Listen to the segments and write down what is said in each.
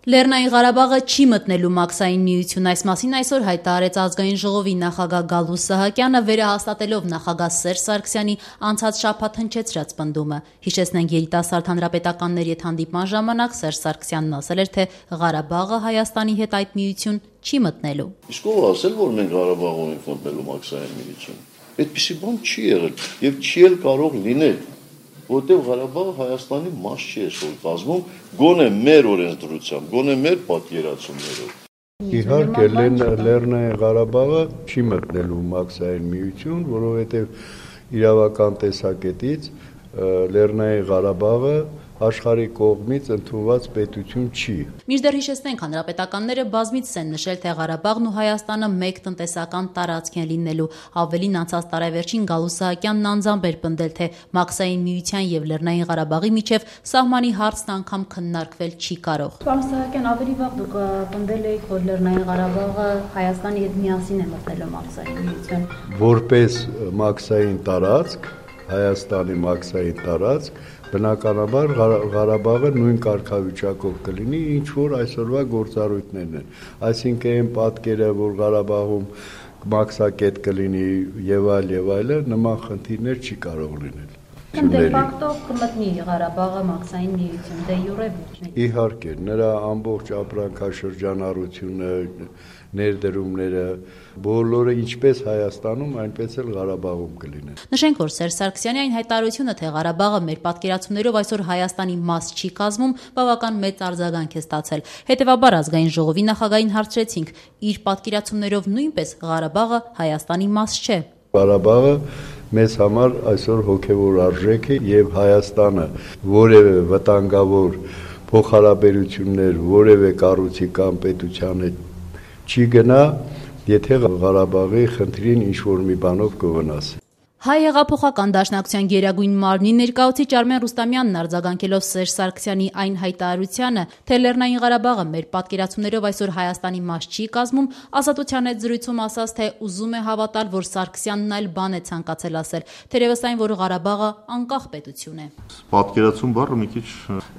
Լեռնային Ղարաբաղը չի մտնելու մաքսային միություն, այս մասին այսօր հայտարարեց ազգային ժողովի նախագահ Գալուստ Սահակյանը, վերահաստատելով նախագահ Սերժ Սարգսյանի անցած շաբաթ հնչեցրած պնդումը։ Հիշեցնենք, երիտասարդ հանրապետականների հետ հանդիպման ժամանակ Սերժ Սարգսյանն ասել էր, թե Ղարաբաղը Հայաստանի հետ այդ միություն չի մտնելու։ Իսկ ով ասել, որ մենք Ղարաբաղում ենք մտնելու մաքսային միություն։ Այդպիսի բան չի եղել եւ չի էլ կարող լինել, որտեղ Ղարաբաղը Հայաստանի մաս չի այսօր կազմում, գոնե մեր օրենսդրությամբ, գոնե մեր պատկերացումներով։ Իհարկե Լեռնային Ղարաբաղը չի մտնելու մաքսային միություն, որովհետև իրավական տեսակետից Լեռնային Ղարաբաղը աշխարհի կողմից ընդունված պետություն չի։ Մինչդեռ հիշեցնենք, հանրապետականները բազմիցս են նշել, թե Ղարաբաղն ու Հայաստանը մեկ տնտեսական տարածք են լինելու։ Ավելին, անցած տարեվերջին Գալուստ Սահակյանն անձամբ էր պնդել, թե մաքսային միության եւ Լեռնային Ղարաբաղի միջև սահմանի հարցն անգամ քննարկվել չի կարող։ Պարոն Սահակյան, ավելի վաղ դուք պնդել եք, որ Լեռնային Ղարաբաղը Հայաստանի հետ միասին է մտնելու մաքսային միություն։ Որպես մաքսային տարածք, Հայաստանի մաքսային տարածք, բնականաբար Ղարաբաղը նույն կարգավիճակով կլինի, ինչ որ այսօրվա գործառույթներն են։ Այսինքն այն պատկերը, որ Ղարաբաղում մաքսակետ կլինի եւ այլը, նման խնդիրներ չի կարող լինել։ Դե ֆակտո կմտնի Ղարաբաղը մաքսային միություն, դե յուրե ոչ։ Իհարկե, նրա ամբողջ ապրանքաշրջանառությունը, ներդրումները, բոլորը ինչպես Հայաստանում, այնպես էլ Ղարաբաղում կլինեն։ Նշենք, որ Սերժ Սարգսյանի այն հայտարարությունը, թե Ղարաբաղը մեր պատկերացումներով այսօր Հայաստանի մաս չի կազմում, բավական մեծ արձագանք է ստացել։ Հետևաբար ազգային ժողովի նախագահին հարցրեցինք, իր պատկերացումներով նույնպես Ղարաբաղը Հայաստանի մաս չէ։ Ղարաբաղը մեզ համար այսօր հոգևոր արժեք է եւ Հայաստանը որևէ վտանգավոր փոխհարաբերություններ որևէ կառույցի կամ պետության հետ չի գնա, եթե Ղարաբաղի խնդրին ինչ-որ մի բանով կվնասի։ Հայ հեղափոխական դաշնակցության գերագույն մարմնի ներկայացուցիչ Արմեն Ռուստամյանն արձագանքելով Սերժ Սարգսյանի այն հայտարարությանը, թե Լեռնային Ղարաբաղը մեր պատկերացումներով այսօր Հայաստանի մաս չի կազմում, Ազատության հետ զրույցում ասաց, թե ուզում է հավատալ, որ Սարգսյանն այլ բան է ցանկացել ասել, թերևս այն, որ Ղարաբաղը անկախ պետություն է։ Պատկերացում բառը մի քիչ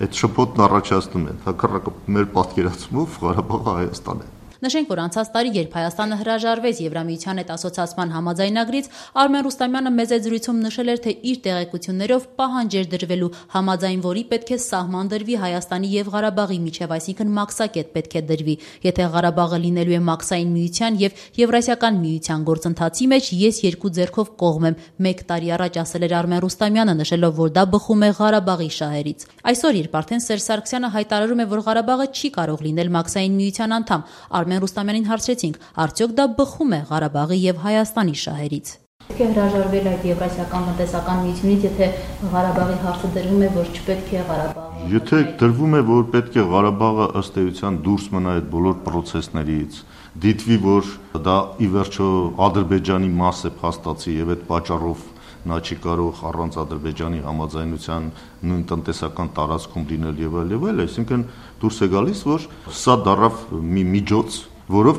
այդ շփոթն առաջացնում է, հակառակը մեր պատկերացումով Ղարաբաղը Հայաստան է։ Նշենք, որ անցած տարի, երբ Հայաստանը հրաժարվեց Եվրամիության հետ ասոցիացման համաձայնագրից, Արմեն Ռուստամյանը մեծ զրույցում նշել էր, թե իր տեղեկություններով պահանջ էր դրվելու, համաձայն որի պետք է սահման դրվի Հայաստանի եւ Ղարաբաղի միջև, այսինքն մաքսակետ պետք է դրվի։ Եթե Ղարաբաղը լինելու է մաքսային միության եւ Եվրասիական միության գործընթացի մեջ, ես երկու ձեռքով կողմ եմ, 1 տարի առաջ ասել էր Արմեն Ռուստամյանը, նշելով, որ դա բխում է Ղարաբաղի շահերից։ Այսօր, երբ արդեն Սերժ Սարգսյանը հայտարարում է, որ Ղարաբաղը չի կարող լինել մաքսային միության անդամ, Արմեն Ռուստամյանին հարցրեցինք, արդյոք դա բխում է Ղարաբաղի եւ Հայաստանի շահերից։ Պետք է հրաժարվել այդ Եվրասիական տնտեսական միությունից, եթե Ղարաբաղի հարցը դրվում է, որ չպետք է Ղարաբաղը։ Եթե դրվում է, որ պետք է Ղարաբաղը ըստ էության դուրս մնա այդ բոլոր պրոցեսներից, դիտվի, որ դա ի վերջո Ադրբեջանի մաս է փաստացի եւ այդ պատճառով նա չի կարող առանց Ադրբեջանի համաձայնության նույն տնտեսական տարածքում լինել եւ այլ, այսինքն դուրս է գալիս, որ սա դառավ մի միջոց, որով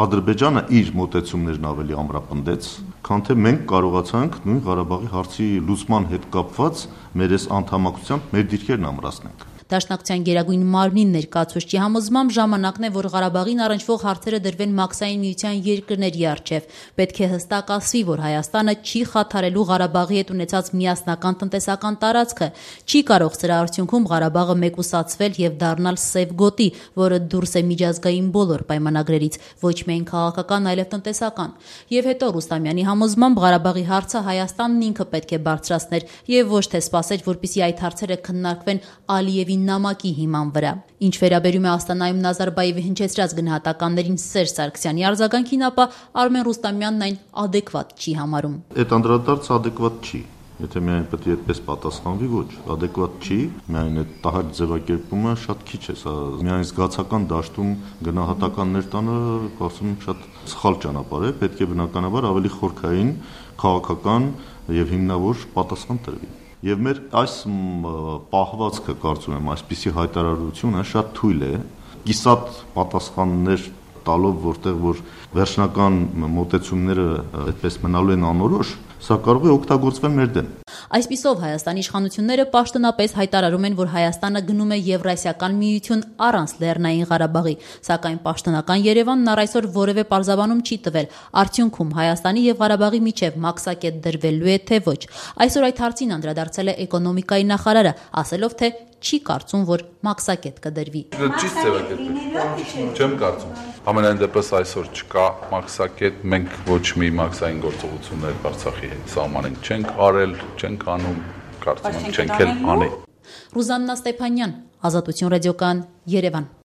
Ադրբեջանը իր մոտեցումներն ավելի ամրապնդեց, քան թե մենք կարողացանք նույն Ղարաբաղի հարցի լուծման հետ կապված մեր այս անդամակցությամբ մեր դիրքերն ամրացնենք։ Դաշնակցության գերագույն մարմնի ներկայացուցչի համոզմամբ ժամանակն է, որ Ղարաբաղին առնչվող հարցերը դրվեն մաքսային միության երկրների առջև։ Պետք է հստակ ասվի, որ Հայաստանը չի խաթարելու Ղարաբաղի հետ ունեցած միասնական տնտեսական տարածքը, չի կարող սրա արդյունքում Ղարաբաղը մեկուսացվել եւ դառնալ սև գոտի, որը դուրս է միջազգային բոլոր պայմանագրերից, ոչ միայն քաղաքական, այլև տնտեսական։ Եվ հետո Ռուստամյանի համոզմամբ Ղարաբաղի հարցը Հայաստանն ինքը պետք է բարձրացներ եւ ոչ թե սպասեր, որպեսզի այդ հարցերը քննարկվեն Ալիևի նամակի հիման վրա։ Ինչ վերաբերում է Աստանայում Նազարբաևի հնչեցրած գնահատականներին Սերժ Սարգսյանի արձագանքին, ապա Արմեն Ռուստամյանն այն ադեկվատ չի համարում։ Այդ անդրադարձը ադեկվատ չի։ Եթե միայն պետք է այդպես պատասխանվի, ոչ, ադեկվատ չի, միայն այդ տահաճ ձևակերպումը շատ քիչ է, սա միայն զգացական դաշտում գնահատականներ տանը, կարծում եմ շատ սխալ ճանապարհ է, պետք է բնականաբար ավելի խորքային, քաղաքական եւ հիմնավոր պատասխան տրվի։ Եվ մեր այս պահվածքը, կարծում եմ, այսպիսի հայտարարությունը շատ թույլ է, կիսատ պատասխաններ տալով, որտեղ որ վերջնական մոտեցումները այդպես մնալու են անորոշ, սա կարող է օգտագործվել մեր դեմ։ Այսպիսով Հայաստանի իշխանությունները պաշտոնապես հայտարարում են, որ Հայաստանը գնում է Եվրասիական միություն առանց Լեռնային Ղարաբաղի, սակայն պաշտոնական Երևանն առ այսօր որևէ պարզաբանում չի տվել, արդյունքում Հայաստանի եւ Ղարաբաղի միջև մաքսակետ դրվելու է թե ոչ։ Այսօր այդ հարցին անդրադարձել է էկոնոմիկայի նախարարը, ասելով, թե չի կարծում, որ մաքսակետ կդրվի։ Ճիշտ ձևակերպել։ Չեմ կարծում։ Ամենայն դեպս այսօր չկա մաքսակետ, մենք ոչ մի մաքսային գործողություններ Արցախի հետ սահմանենք չենք արել, չենք անում, կարծում եմ չենք էլ անի։ Ռուզաննա Ստեփանյան, Ազատություն ռադիոկայան, Երևան։